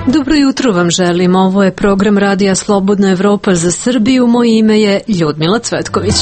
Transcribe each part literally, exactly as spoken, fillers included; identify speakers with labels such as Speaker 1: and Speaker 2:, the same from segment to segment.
Speaker 1: Dobro jutro vam želim, ovo je program Radija Slobodna Evropa za Srbiju, moje ime je Ljudmila Cvetković.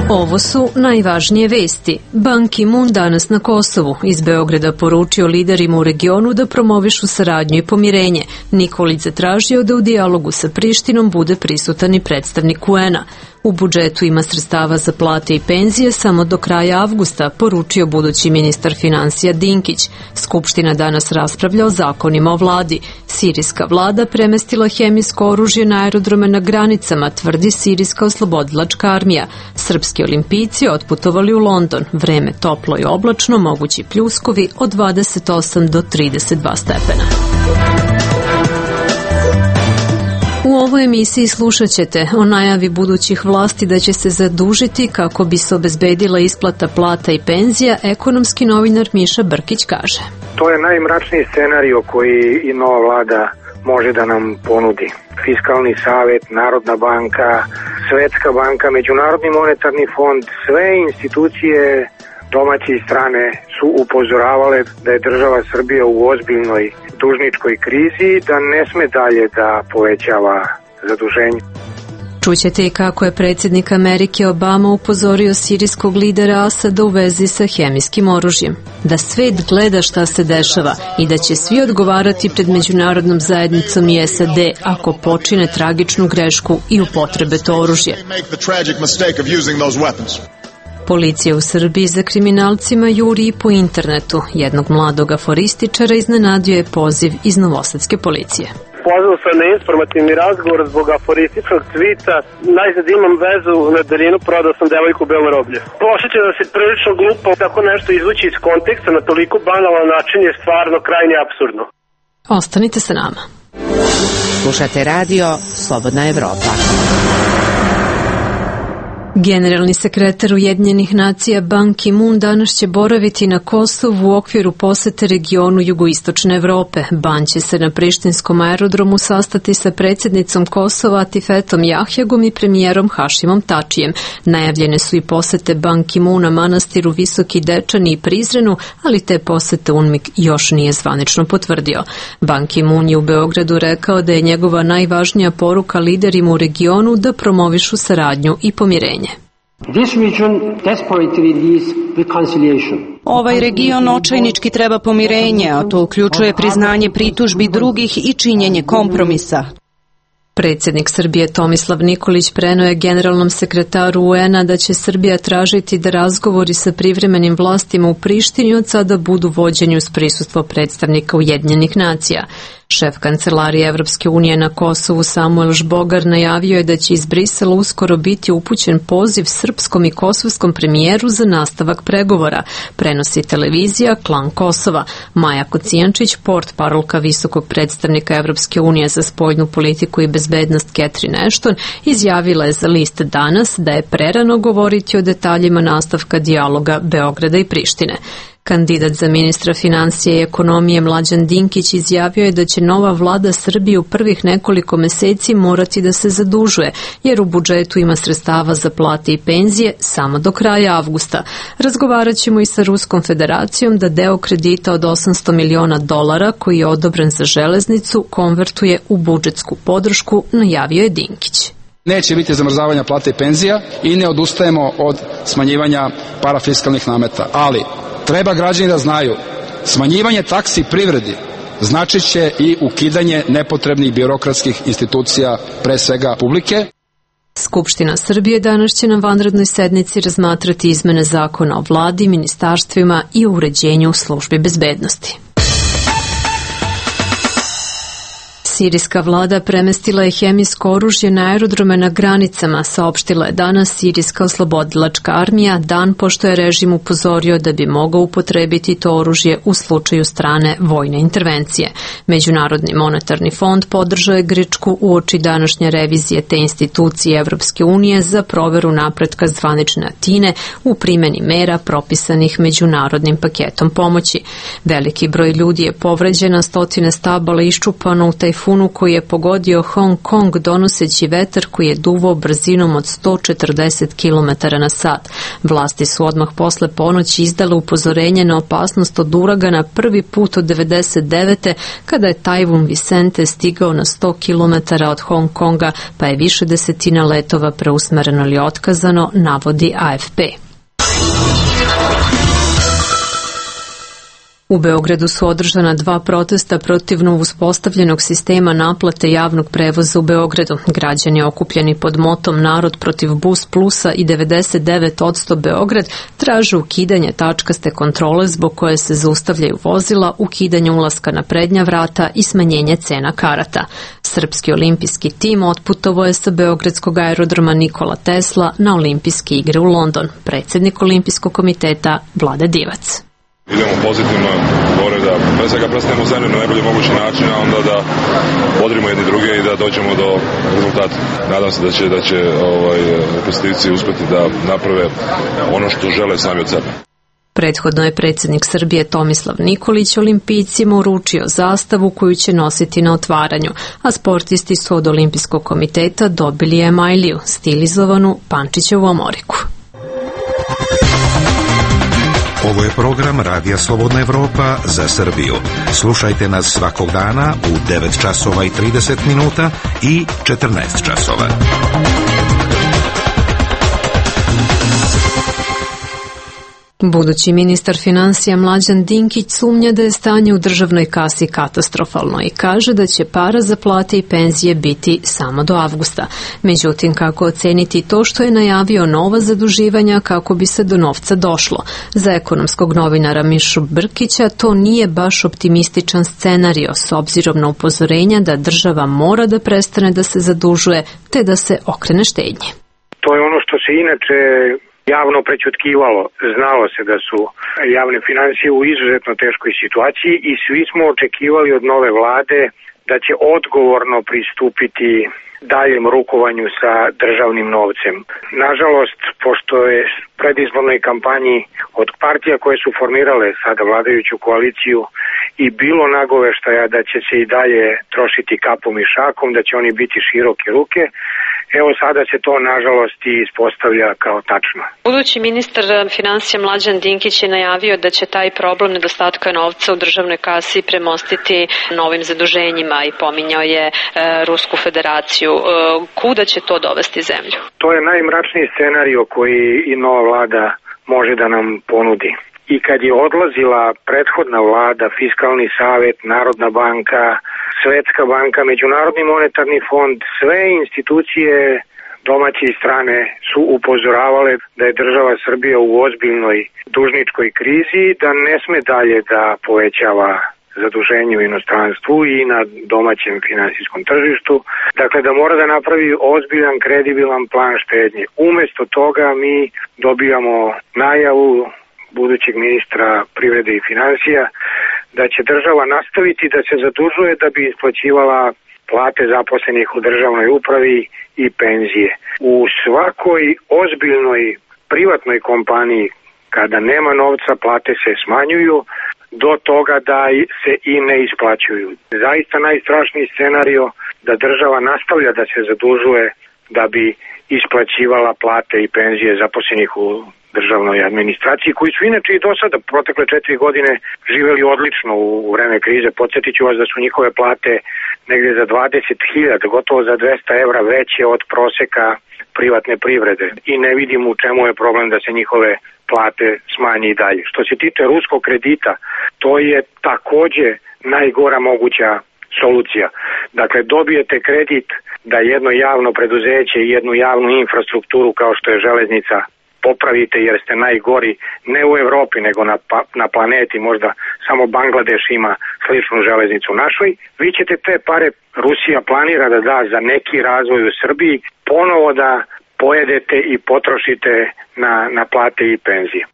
Speaker 1: Ovo su najvažnije vesti. Ban Ki-moon danas na Kosovu iz Beograda poručio liderima u regionu da promovišu saradnju i pomirenje. Nikolić zatražio da u dijalogu sa Prištinom bude prisutan i predstavnik U N-a. U budžetu ima sredstava za plate i penzije samo do kraja avgusta, poručio budući ministar finansija Dinkić. Skupština danas raspravlja o zakonima o vladi. Sirijska vlada premestila hemijsko oružje na aerodrome na granicama, tvrdi Sirijska oslobodilačka armija. Srpski olimpijci otputovali u London. Vreme toplo i oblačno, mogući pljuskovi od dvadeset osam do trideset dva stepena. U ovoj emisiji slušat ćete o najavi budućih vlasti da će se zadužiti kako bi se obezbedila isplata plata i penzija. Ekonomski novinar Miša Brkić kaže:
Speaker 2: To je najmračniji scenario koji i nova vlada može da nam ponudi. Fiskalni savet, Narodna banka, Svetska banka, Međunarodni monetarni fond, sve institucije domaće i strane su upozoravale da je država Srbija u ozbiljnoj dužničkoj krizi, da ne sme dalje da povećava zaduženje.
Speaker 1: Čućete i kako je predsjednik Amerike Obama upozorio sirijskog lidera Asada u vezi sa hemijskim oružjem. Da svet gleda šta se dešava i da će svi odgovarati pred međunarodnom zajednicom i S A D ako počine tragičnu grešku i upotrebe to oružje. Policija u Srbiji za kriminalcima juri i po internetu. Jednog mladog aforističara iznenadio je poziv iz novosadske policije.
Speaker 3: Pozvao sam na informativni razgovor zbog aforističnog tvita. Najzad imam vezu na daljinu, prodao sam devojku u Belom Roblju. Osjećam da se prilično glupo tako nešto izvući iz konteksta na toliko banalan način je stvarno krajnje apsurdno.
Speaker 1: Ostanite sa nama.
Speaker 4: Slušate radio Slobodna Evropa.
Speaker 1: Generalni sekretar Ujedinjenih nacija Ban Ki-moon danas će boraviti na Kosovu u okviru posete regionu jugoistočne Evrope. Ban će se na prištinskom aerodromu sastati sa predsjednicom Kosova Atifetom Jahjagom i premijerom Hašimom Tačijem. Najavljene su i posete Ban Ki-moona manastiru Visoki Dečani i Prizrenu, ali te posete U N M I K još nije zvanično potvrdio. Ban Ki-moon je u Beogradu rekao da je njegova najvažnija poruka liderima u regionu da promovišu saradnju i pomirenje.
Speaker 5: Ovaj region očajnički treba pomirenje, a to uključuje priznanje pritužbi drugih i činjenje kompromisa.
Speaker 1: Predsjednik Srbije Tomislav Nikolić preneo je generalnom sekretaru U N-a da će Srbija tražiti da razgovori sa privremenim vlastima u Prištini od sada budu vođeni uz prisustvo predstavnika Ujedinjenih nacija. Šef kancelarije Evropske unije na Kosovu Samuel Žbogar najavio je da će iz Brisela uskoro biti upućen poziv srpskom i kosovskom premijeru za nastavak pregovora, prenosi televizija Klan Kosova. Maja Kocijančić, portparolka visokog predstavnika Evropske unije za spoljnu politiku i bezbednost Catherine Ashton, izjavila je za list Danas da je prerano govoriti o detaljima nastavka dijaloga Beograda i Prištine. Kandidat za ministra financije i ekonomije Mlađan Dinkić izjavio je da će nova vlada Srbije u prvih nekoliko meseci morati da se zadužuje, jer u budžetu ima sredstava za plate i penzije samo do kraja avgusta. Razgovarat ćemo i sa Ruskom federacijom da deo kredita od osamsto miliona dolara koji je odobren za železnicu konvertuje u budžetsku podršku, najavio je Dinkić.
Speaker 6: Neće biti zamrzavanja plata i penzija i ne odustajemo od smanjivanja parafiskalnih nameta, ali treba građani da znaju, smanjivanje taksi privredi značit će i ukidanje nepotrebnih birokratskih institucija, pre svega publike.
Speaker 1: Skupština Srbije danas će na vanrednoj sednici razmatrati izmene zakona o vladi, ministarstvima i o uređenju službi bezbednosti. Sirijska vlada premestila je hemijsko oružje na aerodrome na granicama, saopštila je danas Sirijska oslobodilačka armija, dan pošto je režim upozorio da bi mogao upotrebiti to oružje u slučaju strane vojne intervencije. Međunarodni monetarni fond podržao je Grčku uoči današnje revizije te institucije Evropske unije za proveru napretka zvanične Atine u primjeni mera propisanih međunarodnim paketom pomoći. Veliki broj ljudi je povređen, stotine stabala iščupano u tajfunu tajfunu koji je pogodio Hong Kong donoseći vetar koji je duvao brzinom od sto četrdeset kilometara na sat. Vlasti su odmah posle ponoći izdale upozorenje na opasnost od uragana prvi put od devedeset devete kada je tajfun Vicente stigao na sto kilometara od Hong Konga, pa je više desetina letova preusmereno ili otkazano, navodi A F P. U Beogradu su održana dva protesta protiv uspostavljenog sistema naplate javnog prevoza u Beogradu. Građani okupljeni pod motom Narod protiv Bus Plusa i devedeset devet posto Beograd traže ukidanje tačkaste kontrole zbog koje se zaustavljaju vozila, ukidanje ulaska na prednja vrata i smanjenje cena karata. Srpski olimpijski tim otputovao je sa beogradskog aerodroma Nikola Tesla na olimpijske igre u London. Predsjednik Olimpijskog komiteta Vlade Divac.
Speaker 7: Idemo pozitivno, gore da pre svega predstavimo zemlju na najbolji mogući način, a onda da bodrimo jedni druge i da dođemo do rezultata. Nadam se da će, da će ovaj, reprezentativci uspeti da naprave ono što žele sami od sebe.
Speaker 1: Prethodno je predsjednik Srbije Tomislav Nikolić olimpijcima uručio zastavu koju će nositi na otvaranju, a sportisti su od Olimpijskog komiteta dobili emajliju, stilizovanu Pančićevu omoriku.
Speaker 8: Ovo je program Radija Slobodna Evropa za Srbiju. Slušajte nas svakog dana u devet časova i trideset minuta i četrnaest časova.
Speaker 1: Budući ministar finansija Mlađan Dinkić sumnja da je stanje u državnoj kasi katastrofalno i kaže da će para za plate i penzije biti samo do avgusta. Međutim, kako oceniti to što je najavio nova zaduživanja kako bi se do novca došlo? Za ekonomskog novinara Mišu Brkića to nije baš optimističan scenario s obzirom na upozorenja da država mora da prestane da se zadužuje te da se okrene štednji.
Speaker 2: To je ono što se inače javno prećutkivalo. Znalo se da su javne financije u izuzetno teškoj situaciji i svi smo očekivali od nove vlade da će odgovorno pristupiti daljem rukovanju sa državnim novcem. Nažalost, pošto je u predizbornoj kampanji od partija koje su formirale sada vladajuću koaliciju i bilo nagoveštaja da će se i dalje trošiti kapom i šakom, da će oni biti široke ruke, evo sada se to nažalost i ispostavlja kao tačno.
Speaker 1: Budući ministar finansija Mlađan Dinkić je najavio da će taj problem nedostatka novca u državnoj kasi premostiti novim zaduženjima i pominjao je e, Rusku federaciju. E, kuda će to dovesti zemlju?
Speaker 2: To je najmračniji scenario koji i nova vlada može da nam ponudi. I kad je odlazila prethodna vlada, Fiskalni savet, Narodna banka, Svetska banka, Međunarodni monetarni fond, sve institucije domaće i strane su upozoravale da je država Srbija u ozbiljnoj dužničkoj krizi, da ne sme dalje da povećava zaduženje u inostranstvu i na domaćem finansijskom tržištu. Dakle, da mora da napravi ozbiljan, kredibilan plan štednje. Umesto toga mi dobijamo najavu budućeg ministra privrede i financija da će država nastaviti da se zadužuje da bi isplaćivala plate zaposlenih u državnoj upravi i penzije. U svakoj ozbiljnoj privatnoj kompaniji kada nema novca plate se smanjuju do toga da se i ne isplaćuju. Zaista najstrašniji scenario da država nastavlja da se zadužuje da bi isplaćivala plate i penzije zaposlenih u državnoj administraciji, koji su inače i do sada protekle četiri godine živeli odlično u vreme krize. Podsjetit ću vas da su njihove plate negdje za dvadeset hiljada, gotovo za dvesta evra veće od proseka privatne privrede. I ne vidim u čemu je problem da se njihove plate smanje i dalje. Što se tiče ruskog kredita, to je takođe najgora moguća solucija. Dakle, dobijete kredit da jedno javno preduzeće i jednu javnu infrastrukturu kao što je železnica popravite jer ste najgori ne u Evropi nego na, pa, na planeti, možda samo Bangladeš ima sličnu železnicu našoj. Vi ćete te pare, Rusija planira da da za neki razvoj u Srbiji, ponovo da pojedete i potrošite na, na plate i penzije.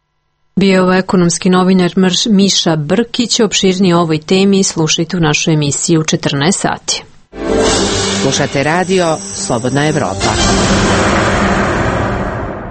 Speaker 1: Bio je ekonomski novinar Miša Brkić. Opširnije o ovoj temi slušajte u našoj emisiji u četrnaest sati.
Speaker 4: Slušate radio Slobodna Evropa.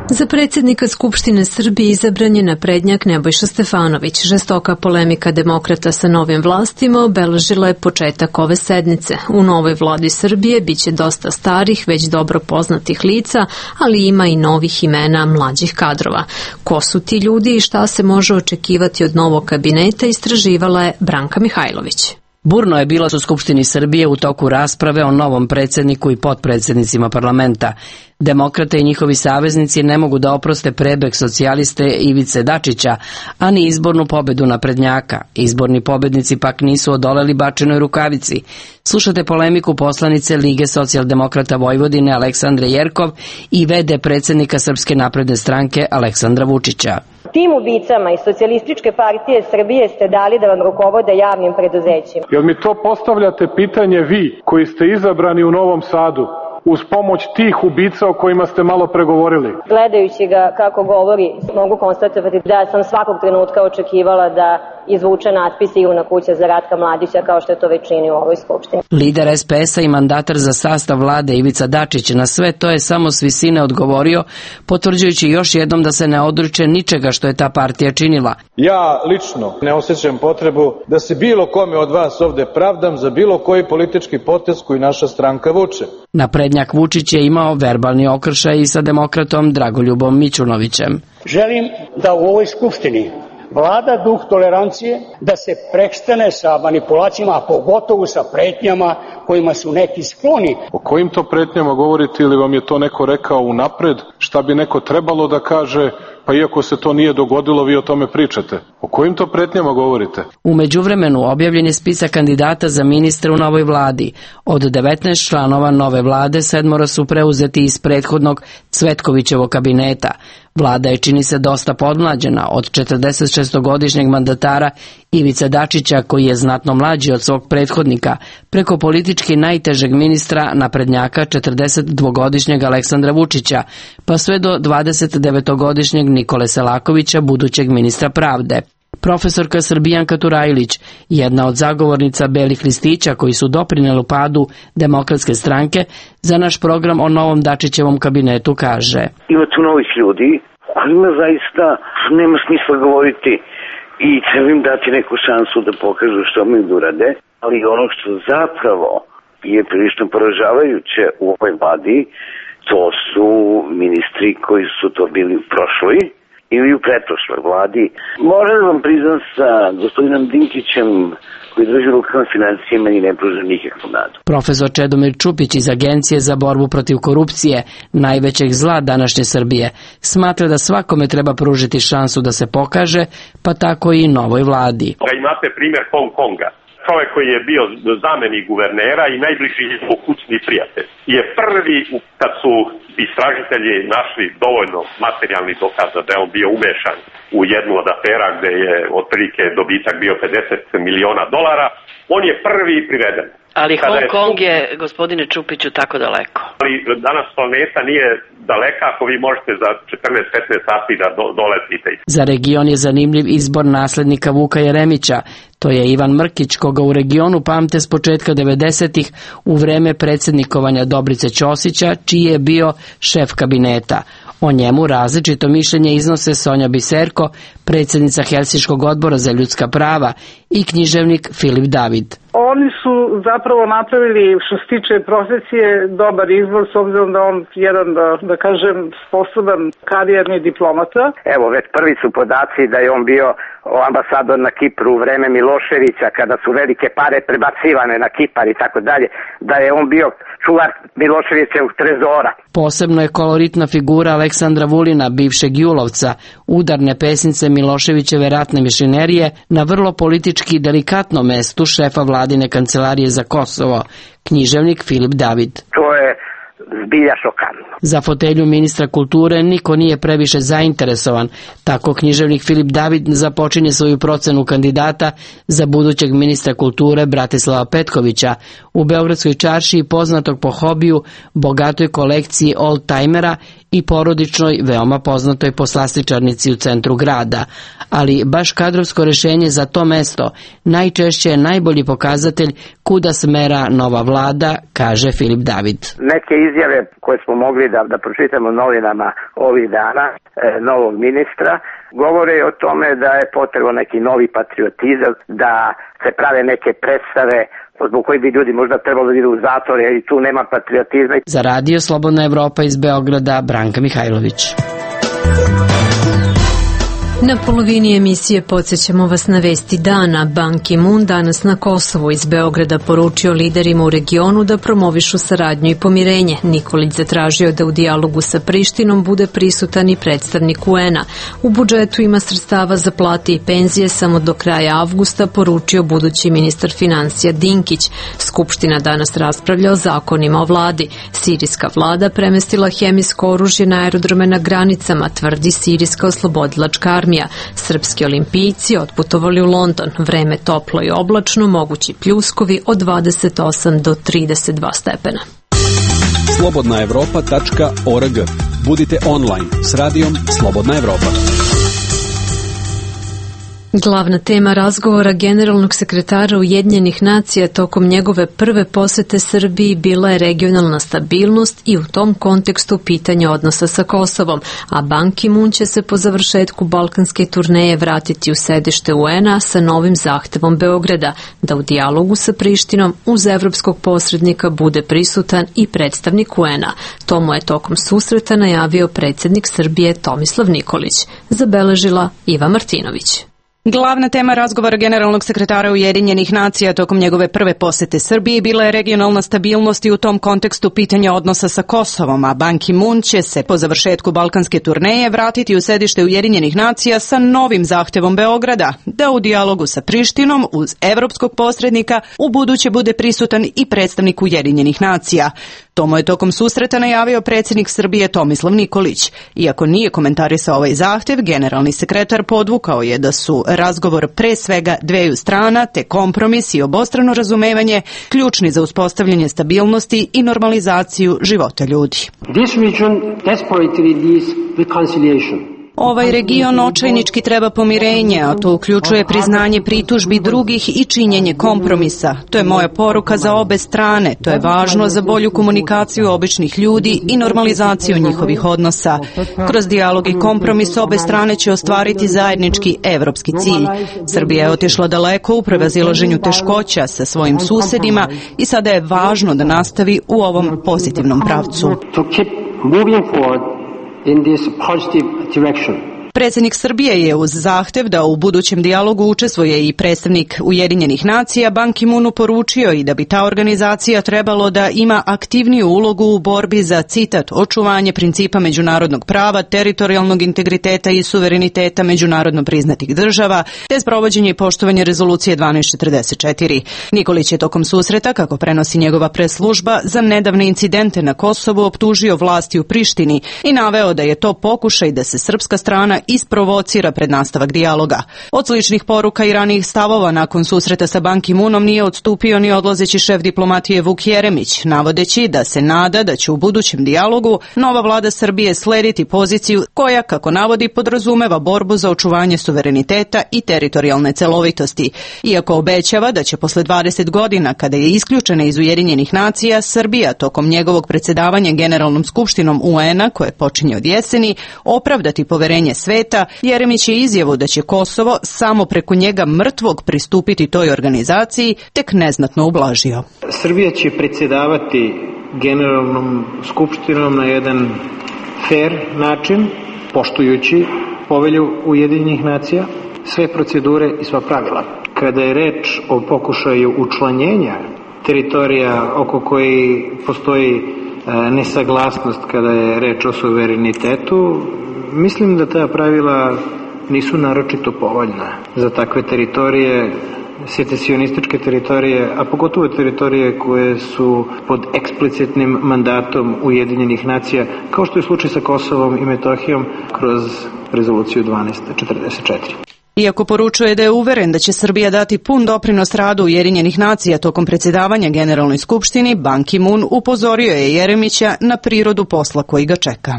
Speaker 1: Za predsjednika Skupštine Srbije izabran je naprednjak Nebojša Stefanović. Žestoka polemika demokrata sa novim vlastima obeležila je početak ove sednice. U novoj vladi Srbije biće dosta starih, već dobro poznatih lica, ali ima i novih imena mlađih kadrova. Ko su ti ljudi i šta se može očekivati od novog kabineta, istraživala je Branka Mihajlović.
Speaker 9: Burno je bilo u Skupštini Srbije u toku rasprave o novom predsjedniku i potpredsjednicima parlamenta. Demokrate i njihovi saveznici ne mogu da oproste prebeg socijaliste Ivice Dačića, a ni izbornu pobedu naprednjaka. Izborni pobednici pak nisu odoleli bačenoj rukavici. Slušate polemiku poslanice Lige socijaldemokrata Vojvodine Aleksandre Jerkov i ve de predsjednika Srpske napredne stranke Aleksandra Vučića.
Speaker 10: Tim ubicama iz Socijalističke partije Srbije ste dali da vam rukovode javnim preduzećima.
Speaker 11: Jel mi to postavljate pitanje vi koji ste izabrani u Novom Sadu uz pomoć tih ubica o kojima ste malo pregovorili?
Speaker 10: Gledajući ga kako govori, mogu konstatovati da sam svakog trenutka očekivala da izvuče natpis Ivna kuća za Ratka Mladića, kao što je to već čini u ovoj skupštini.
Speaker 9: Lider es pe es a i mandatar za sastav vlade Ivica Dačić na sve to je samo s visine odgovorio, potvrđujući još jednom da se ne odriče ničega što je ta partija činila.
Speaker 12: Ja lično ne osjećam potrebu da se bilo kome od vas ovde pravdam za bilo koji politički potez koji naša stranka vuče.
Speaker 9: Naprednjak Vučić je imao verbalni okršaj i sa demokratom Dragoljubom Mićunovićem.
Speaker 13: Želim da u ovoj skupštini vlada duh tolerancije, da se prestane sa manipulacijama, a pogotovo sa pretnjama kojima su neki skloni.
Speaker 11: O kojim to pretnjama govorite ili vam je to neko rekao unapred? Šta bi neko trebalo da kaže, pa iako se to nije dogodilo, vi o tome pričate? O kojim to pretnjama govorite?
Speaker 9: U međuvremenu objavljen je spisak kandidata za ministre u novoj vladi. Od devetnaest članova nove vlade, sedmoro su preuzeti iz prethodnog Cvetkovićevog kabineta. Vlada je, čini se, dosta podmlađena od četrdesetšestogodišnjeg mandatara Ivice Dačića, koji je znatno mlađi od svog prethodnika, preko politički najtežeg ministra naprednjaka četrdesetdvogodišnjeg Aleksandra Vučića, pa sve do dvadesetdevetogodišnjeg Nikole Selakovića, budućeg ministra pravde. Profesorka Srbijanka Turajlić, jedna od zagovornica belih listića koji su doprineli padu Demokratske stranke, za naš program o novom Dačićevom kabinetu kaže:
Speaker 14: Ima tu novih ljudi kojima zaista nema smisla govoriti i treba im dati neku šansu da pokažu što mi urade, ali ono što zapravo je prilično poražavajuće u ovoj vladi, to su ministri koji su to bili u prošloj ili u pretprošloj vladi. Moram vam priznam sa gospodinom Dinkićem koji drži rukama financije, meni ne pruža nikakvu nadu.
Speaker 9: Profesor Čedomir Čupić iz Agencije za borbu protiv korupcije, najvećeg zla današnje Srbije, smatra da svakome treba pružiti šansu da se pokaže, pa tako i novoj vladi.
Speaker 15: Imate primjer Hong Konga. Čovjek koji je bio zamenik guvernera i najbliži njegov kućni prijatelj je prvi, kad su istražitelji našli dovoljno materijalnih dokaza da je on bio umešan u jednu od afera gde je otprilike dobitak bio pedeset miliona dolara, on je prvi priveden.
Speaker 16: Ali Hong Kong je, gospodine Čupiću, tako daleko.
Speaker 15: Ali danas planeta nije daleka ako vi možete za četrnaest petnaest sati da do, doletite.
Speaker 9: Za region je zanimljiv izbor naslednika Vuka Jeremića. To je Ivan Mrkić, koga u regionu pamte s početka devedesetih u vreme predsjednikovanja Dobrice Ćosića, čiji je bio šef kabineta. O njemu različito mišljenje iznose Sonja Biserko, predsjednica Helsinškog odbora za ljudska prava, i književnik Filip David.
Speaker 17: Oni su zapravo napravili, što se tiče profesije, dobar izbor, s obzirom da on jedan, da, da kažem, sposoban karijerni diplomata.
Speaker 2: Evo, već prvi su podaci da je on bio ambasador na Kipru u vreme Miloševića, kada su velike pare prebacivane na Kipar i tako dalje, da je on bio čuvar Miloševićevog trezora.
Speaker 9: Posebno je koloritna figura Aleksandra Vulina, bivšeg Julovca, udarne pesnice Miloševićeve ratne mašinerije, na vrlo politički delikatnom mestu šefa vladine kancelarije za Kosovo, književnik Filip David.
Speaker 2: To je zbilja šokantno.
Speaker 9: Za fotelju ministra kulture niko nije previše zainteresovan, tako književnik Filip David započinje svoju procenu kandidata za budućeg ministra kulture Bratislava Petkovića, u Beogradskoj čaršiji poznatog po hobiju, bogatoj kolekciji old-timera i porodičnoj, veoma poznatoj poslastičarnici u centru grada, ali baš kadrovsko rešenje za to mesto najčešće je najbolji pokazatelj kuda smera nova vlada, kaže Filip David.
Speaker 18: Neke izjave koje smo mogli da, da pročitamo novinama ovih dana, e, novog ministra, govore o tome da je potrebno neki novi patriotizam, da se prave neke predstave zbog koji bi ljudi možda trebalo da idu u zatvor, jer i tu nema patriotizma.
Speaker 9: Za radio Slobodna Evropa iz Beograda, Branka Mihajlović.
Speaker 1: Na polovini emisije podsjećamo vas na vesti dana. Ban Ki-moon danas na Kosovu iz Beograda poručio liderima u regionu da promovišu saradnju i pomirenje. Nikolić zatražio da u dijalogu sa Prištinom bude prisutan i predstavnik U N-a. U budžetu ima sredstava za plate i penzije samo do kraja avgusta, poručio budući ministar financija Dinkić. Skupština danas raspravlja o zakonima o vladi. Sirijska vlada premestila hemijsko oružje na aerodrome na granicama, tvrdi Sirijska oslobodilačka armija. Srpski olimpijci otputovali u London. Vreme toplo i oblačno, mogući pljuskovi od dvadeset osam do trideset dva stepena.
Speaker 19: slobodna evropa tačka org. Budite online s radijom Slobodna Evropa.
Speaker 1: Glavna tema razgovora generalnog sekretara Ujedinjenih nacija tokom njegove prve posete Srbiji bila je regionalna stabilnost i u tom kontekstu pitanje odnosa sa Kosovom, a Ban Ki-moon će se po završetku balkanske turneje vratiti u sedište U N-a sa novim zahtevom Beograda da u dijalogu sa Prištinom uz evropskog posrednika bude prisutan i predstavnik U N-a. To mu je tokom susreta najavio predsjednik Srbije Tomislav Nikolić. Zabeležila Iva Martinović.
Speaker 5: Glavna tema razgovora generalnog sekretara Ujedinjenih nacija tokom njegove prve posete Srbiji bila je regionalna stabilnost i u tom kontekstu pitanja odnosa sa Kosovom, a Ban Ki-moon će se po završetku balkanske turneje vratiti u sedište Ujedinjenih nacija sa novim zahtevom Beograda da u dijalogu sa Prištinom uz evropskog posrednika u buduće bude prisutan i predstavnik Ujedinjenih nacija. To mu je tokom susreta najavio predsjednik Srbije Tomislav Nikolić. Iako nije komentarisao ovaj zahtev, generalni sekretar podvukao je da su razgovor pre svega dveju strana te kompromis i obostrano razumevanje ključni za uspostavljanje stabilnosti i normalizaciju života ljudi.
Speaker 20: This region desperately needs reconciliation.
Speaker 5: Ovaj region očajnički treba pomirenje, a to uključuje priznanje pritužbi drugih i činjenje kompromisa. To je moja poruka za obe strane. To je važno za bolju komunikaciju običnih ljudi i normalizaciju njihovih odnosa. Kroz dijalog i kompromis obe strane će ostvariti zajednički evropski cilj. Srbija je otišla daleko u prevazilaženju teškoća sa svojim susedima i sada je važno da nastavi u ovom pozitivnom pravcu.
Speaker 20: In this positive direction.
Speaker 5: Predsjednik Srbije je uz zahtev da u budućem dijalogu učestvuje i predstavnik Ujedinjenih nacija Ban Ki-moonu poručio i da bi ta organizacija trebalo da ima aktivniju ulogu u borbi za, citat, očuvanje principa međunarodnog prava, teritorijalnog integriteta i suvereniteta međunarodno priznatih država, te sprovođenje i poštovanje rezolucije dvanaest četrdeset četiri. Nikolić je tokom susreta, kako prenosi njegova preslužba, za nedavne incidente na Kosovu optužio vlasti u Prištini i naveo da je to pokušaj da se srpska strana isprovocira pred nastavak dijaloga. Od sličnih poruka i ranijih stavova nakon susreta sa Ban Ki-moonom nije odstupio ni odlazeći šef diplomatije Vuk Jeremić, navodeći da se nada da će u budućem dijalogu nova vlada Srbije slediti poziciju koja, kako navodi, podrazumeva borbu za očuvanje suvereniteta i teritorijalne celovitosti. Iako obećava da će posle dvadeset godina, kada je isključena iz Ujedinjenih nacija, Srbija tokom njegovog predsjedavanja Generalnom skupštinom U N-a, koje počinje od jeseni, opravdati poverenje sveta, Jeremić je izjavu da će Kosovo samo preko njega mrtvog pristupiti toj organizaciji tek neznatno ublažio.
Speaker 21: Srbija će predsjedavati Generalnom skupštinom na jedan fair način, poštujući povelju Ujedinjenih nacija, sve procedure i sva pravila. Kada je reč o pokušaju učlanjenja teritorija oko koji postoji nesaglasnost kada je reč o suverenitetu, mislim da ta pravila nisu naročito povoljna za takve teritorije, secesionističke teritorije, a pogotovo teritorije koje su pod eksplicitnim mandatom Ujedinjenih nacija, kao što je slučaj sa Kosovom i Metohijom kroz rezoluciju dvanaest četrdeset četiri.
Speaker 5: Iako poručuje da je uveren da će Srbija dati pun doprinos radu Ujedinjenih nacija tokom predsjedavanja Generalnoj skupštini, Ban Ki-moon upozorio je Jeremića na prirodu posla koji ga čeka.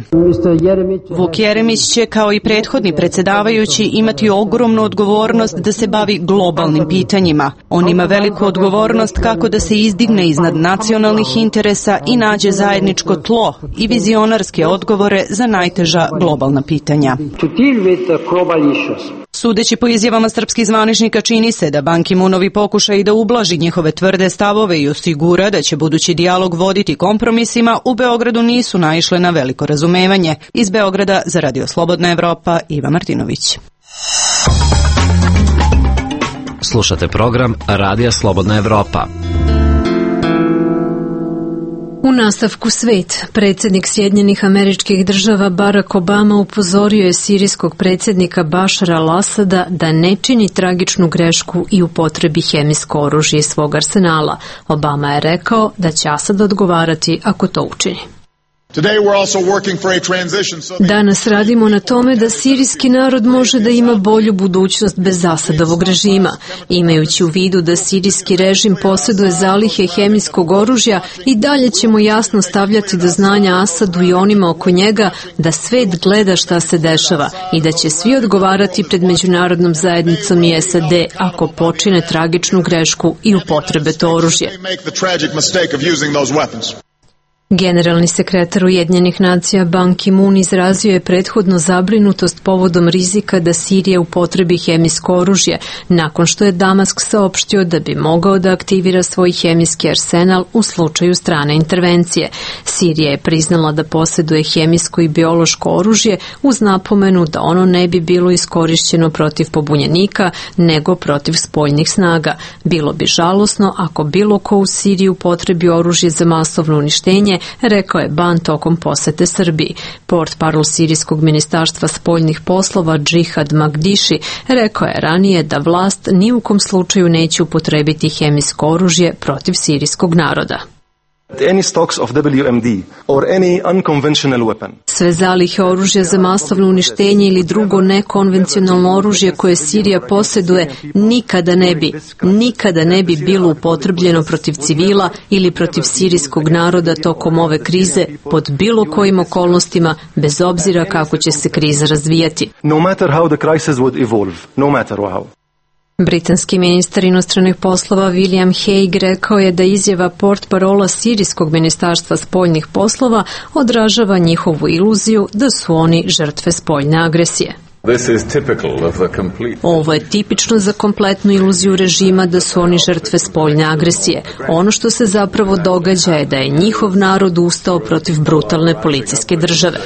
Speaker 5: Vuk Jeremić će, kao i prethodni predsjedavajući, imati ogromnu odgovornost da se bavi globalnim pitanjima. On ima veliku odgovornost kako da se izdigne iznad nacionalnih interesa i nađe zajedničko tlo i vizionarske odgovore za najteža globalna pitanja. Sudeći po izjavama srpskih zvaničnika, čini se da Ban Ki-moonovi pokušaj da ublaži njihove tvrde stavove i osigura da će budući dijalog voditi kompromisima u Beogradu nisu naišle na veliko razumevanje. Iz Beograda za Radio Slobodna Evropa, Iva Martinović.
Speaker 3: Slušate program Radija Slobodna Evropa.
Speaker 1: U nastavku svet, predsjednik Sjedinjenih Američkih Država Barack Obama upozorio je sirijskog predsjednika Bašara al-Asada da ne čini tragičnu grešku i upotrebi hemijsko oružje iz svog arsenala. Obama je rekao da će Asad odgovarati ako to učini. Danas radimo na tome da sirijski narod može da ima bolju budućnost bez Asadovog režima. Imajući u vidu da sirijski režim posjeduje zalihe hemijskog oružja, i dalje ćemo jasno stavljati do znanja Asadu i onima oko njega da svet gleda šta se dešava i da će svi odgovarati pred međunarodnom zajednicom i S A D ako počine tragičnu grešku i upotrebe to oružje. Generalni sekretar Ujedinjenih nacija Ban Ki-moon izrazio je prethodno zabrinutost povodom rizika da Sirija upotrebi hemijsko oružje, nakon što je Damask saopštio da bi mogao da aktivira svoj hemijski arsenal u slučaju strane intervencije. Sirija je priznala da posjeduje hemijsko i biološko oružje uz napomenu da ono ne bi bilo iskorišćeno protiv pobunjenika, nego protiv spoljnih snaga. Bilo bi žalosno ako bilo ko u Siriji upotrebi oružje za masovno uništenje, rekao je Ban tokom posete Srbiji. Portparol sirijskog ministarstva spoljnih poslova Džihad Magdiši rekao je ranije da vlast ni u kom slučaju neće upotrebiti hemijsko oružje protiv sirijskog naroda.
Speaker 22: Any stocks of W M D or any unconventional weapon.
Speaker 1: Sve zalihe oružja za masovno uništenje ili drugo nekonvencionalno oružje koje Sirija posjeduje nikada ne bi, nikada ne bi bilo upotrebljeno protiv civila ili protiv sirijskog naroda tokom ove krize pod bilo kojim okolnostima, bez obzira kako će se kriza razvijati.
Speaker 22: No matter how the crisis would evolve, no matter how.
Speaker 1: Britanski ministar inostranih poslova William Hague rekao je da izjava portparola sirijskog ministarstva spoljnih poslova odražava njihovu iluziju da su oni žrtve spoljne agresije. Ovo je tipično za kompletnu iluziju režima da su oni žrtve spoljne agresije. Ono što se zapravo događa je da je njihov narod ustao protiv brutalne policijske države.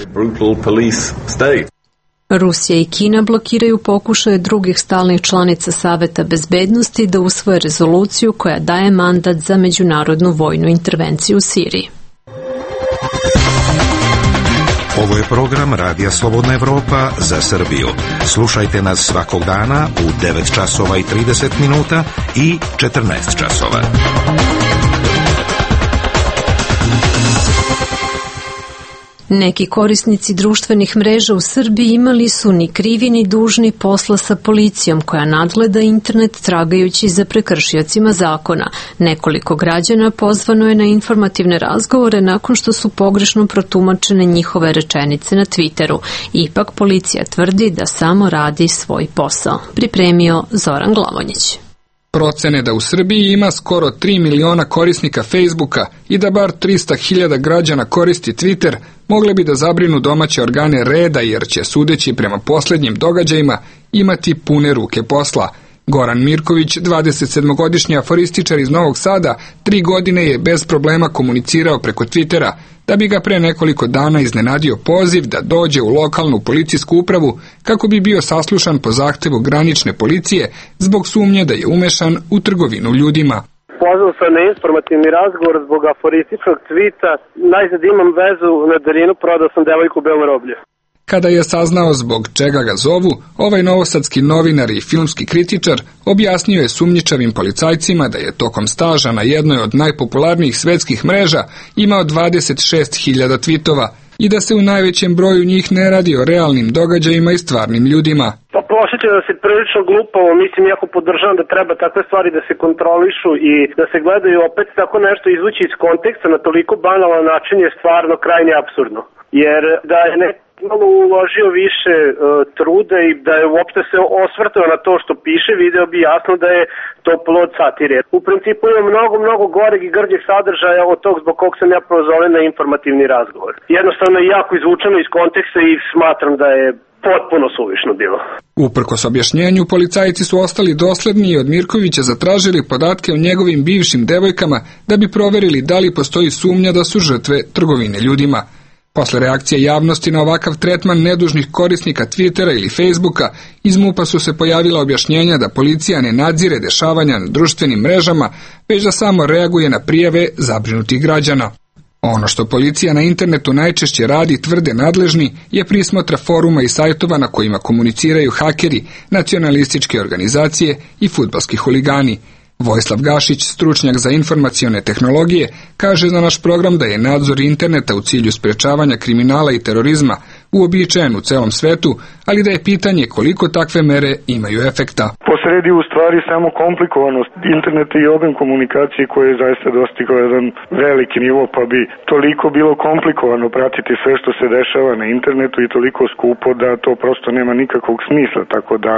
Speaker 1: Rusija i Kina blokiraju pokušaje drugih stalnih članica Saveta bezbednosti da usvoje rezoluciju koja daje mandat za međunarodnu vojnu intervenciju u Siriji.
Speaker 8: Ovo je program Radija Slobodna Evropa za Srbiju. Slušajte nas svakog dana u devet časova i trideset minuta i četrnaest časova.
Speaker 1: Neki korisnici društvenih mreža u Srbiji imali su ni krivi ni dužni posla sa policijom koja nadgleda internet tragajući za prekršiocima zakona. Nekoliko građana pozvano je na informativne razgovore nakon što su pogrešno protumačene njihove rečenice na Twitteru. Ipak policija tvrdi da samo radi svoj posao. Pripremio Zoran Glavonjić.
Speaker 6: Procene da u Srbiji ima skoro tri miliona korisnika Facebooka i da bar trista hiljada građana koristi Twitter mogle bi da zabrinu domaće organe reda jer će, sudeći prema posljednjim događajima, imati pune ruke posla. Goran Mirković, dvadesetsedmogodišnji aforističar iz Novog Sada, tri godine je bez problema komunicirao preko Twittera, da bi ga pre nekoliko dana iznenadio poziv da dođe u lokalnu policijsku upravu kako bi bio saslušan po zahtevu granične policije zbog sumnje da je umešan u trgovinu ljudima.
Speaker 23: Pozvao sam na informativni razgovor zbog aforističnog tvita. Najzad imam vezu na daljinu, prodao sam devojku u Belo Roblje.
Speaker 6: Kada je saznao zbog čega ga zovu, ovaj novosadski novinar i filmski kritičar objasnio je sumnjičavim policajcima da je tokom staža na jednoj od najpopularnijih svetskih mreža imao dvadeset šest hiljada tvitova. i da se u najvećem broju njih ne radi o realnim događajima i stvarnim ljudima.
Speaker 23: Pa posjećam da se prilično glupavo, mislim, jako podržavam da treba takve stvari da se kontrolišu i da se gledaju, opet tako nešto izvući iz konteksta na toliko banalan način je stvarno krajnje apsurdno. Jer da je neko malo uložio više uh, truda i da je uopšte se osvrtao na to što piše, video bi jasno da je to plod satire. U principu ima mnogo, mnogo goreg i grđeg sadržaja od tog zbog kog sam ja prozove na informativni razgovor. Jednostavno je jako izvučeno iz konteksta i smatram da je potpuno suvišno bilo.
Speaker 6: Uprkos objašnjenju, policajci su ostali dosledni i od Mirkovića zatražili podatke o njegovim bivšim devojkama da bi proverili da li postoji sumnja da su žrtve trgovine ljudima. Posle reakcije javnosti na ovakav tretman nedužnih korisnika Twittera ili Facebooka, iz MUP-a su se pojavila objašnjenja da policija ne nadzire dešavanja na društvenim mrežama, već da samo reaguje na prijave zabrinutih građana. Ono što policija na internetu najčešće radi, tvrde nadležni, je prismotra foruma i sajtova na kojima komuniciraju hakeri, nacionalističke organizacije i fudbalski huligani. Vojislav Gašić, stručnjak za informacione tehnologije, kaže za naš program da je nadzor interneta u cilju sprečavanja kriminala i terorizma uobičajen u celom svetu, ali da je pitanje koliko takve mere imaju efekta.
Speaker 4: Posredi u stvari samo komplikovanost interneta i obim komunikacije koji je zaista dostigao jedan veliki nivo, pa bi toliko bilo komplikovano pratiti sve što se dešava na internetu i toliko skupo da to prosto nema nikakvog smisla, tako da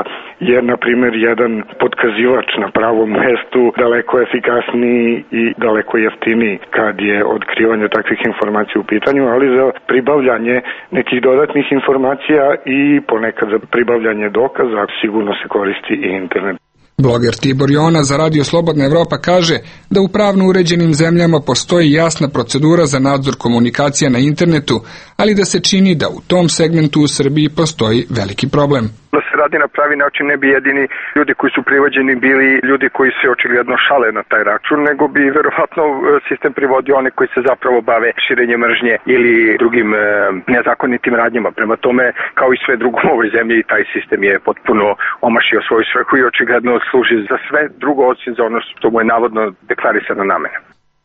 Speaker 4: je, na primjer, jedan potkazivač na pravom mestu daleko efikasniji i daleko jeftiniji kad je otkrivanje takvih informacija u pitanju, ali za pribavljanje nekih dodatnih informacija i ponekad za pribavljanje dokaza sigurno se koristi i internet.
Speaker 6: Bloger Tibor Jona za Radio Slobodna Evropa kaže da u pravno uređenim zemljama postoji jasna procedura za nadzor komunikacija na internetu, ali da se čini da u tom segmentu u Srbiji postoji veliki problem.
Speaker 7: Da se radi na pravi način, ne bi jedini ljudi koji su privođeni bili ljudi koji se očigledno šale na taj račun, nego bi verovatno sistem privodio one koji se zapravo bave širenjem mržnje ili drugim e, nezakonitim radnjama. Prema tome, kao i sve drugo u ovoj zemlji, taj sistem je potpuno omašio svoju svrhu i očigledno služi za sve drugo osim za ono što mu je navodno deklarisana namena.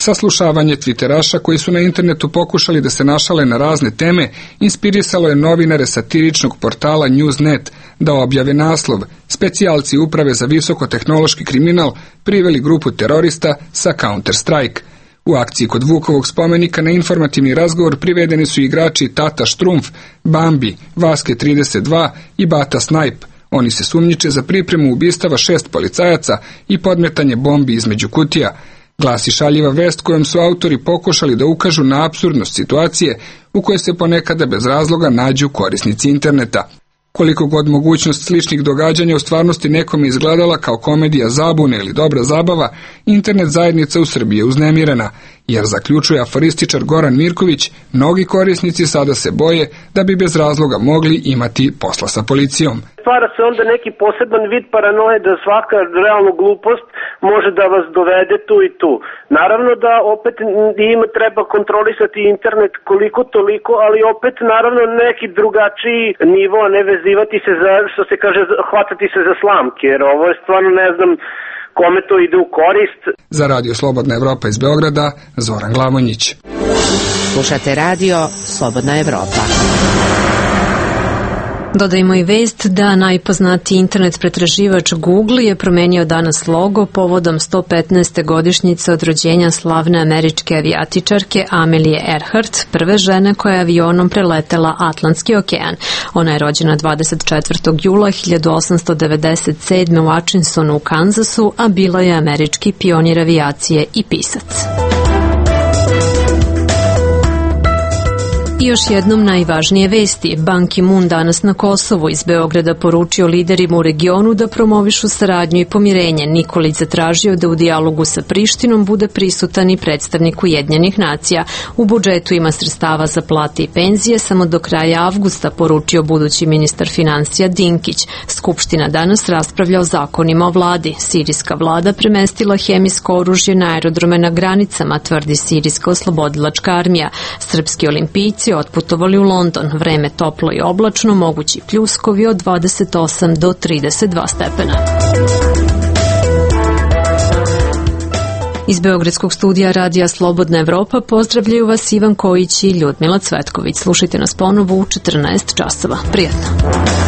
Speaker 6: Saslušavanje twitteraša koji su na internetu pokušali da se našale na razne teme inspirisalo je novinare satiričnog portala Newsnet da objave naslov "Specijalci uprave za visokotehnološki kriminal priveli grupu terorista sa Counter-Strike". U akciji kod Vukovog spomenika na informativni razgovor privedeni su igrači Tata Štrumf, Bambi, Vaske trideset dva i Bata Snajp. Oni se sumnjiče za pripremu ubistava šest policajaca i podmetanje bombi između kutija. Glasi šaljiva vest kojom su autori pokušali da ukažu na apsurdnost situacije u kojoj se ponekada bez razloga nađu korisnici interneta. Koliko god mogućnost sličnih događanja u stvarnosti nekome izgledala kao komedija zabune ili dobra zabava, internet zajednica u Srbiji je uznemirena, jer zaključuje aforističar Goran Mirković, mnogi korisnici sada se boje da bi bez razloga mogli imati posla sa policijom.
Speaker 23: Stvara se onda neki poseban vid paranoje da svaka realno glupost može da vas dovede tu i tu. Naravno da opet ima treba kontrolisati internet koliko toliko, ali opet naravno neki drugačiji nivo, a ne vezivati se za, što se kaže, hvatati se za slamke, jer ovo je stvarno ne znam kome to ide u korist.
Speaker 6: Za Radio Slobodna Evropa iz Beograda, Zoran Glamonjić.
Speaker 10: Slušate Radio Slobodna Evropa.
Speaker 1: Dodajmo i vest da najpoznatiji internet pretraživač Google je promenio danas logo povodom sto petnaeste godišnjice od rođenja slavne američke avijatičarke Amelie Earhart, prve žene koja je avionom preletela Atlantski okean. Ona je rođena dvadeset četvrtog jula hiljadu osamsto devedeset sedme u Atchinsonu u Kansasu, a bila je američki pionir avijacije i pisac. I još jednom najvažnije vesti. Ban Ki-moon danas na Kosovu iz Beograda poručio liderima u regionu da promovišu saradnju i pomirenje. Nikolić zatražio da u dijalogu sa Prištinom bude prisutan i predstavnik Ujedinjenih nacija. U budžetu ima sredstava za plate i penzije, samo do kraja avgusta, poručio budući ministar financija Dinkić. Skupština danas raspravlja o zakonima o vladi. Sirijska vlada premestila hemijsko oružje na aerodrome na granicama, tvrdi Sirijska oslobodilačka armija. Srpski olimpijci otputovali u London. Vreme toplo i oblačno, mogući pljuskovi od dvadeset osam do trideset dva stepena. Iz Beogradskog studija Radija Slobodna Evropa pozdravljaju vas Ivan Kojić i Ljudmila Cvetković. Slušajte nas ponovo u četrnaest časova. Prijatno.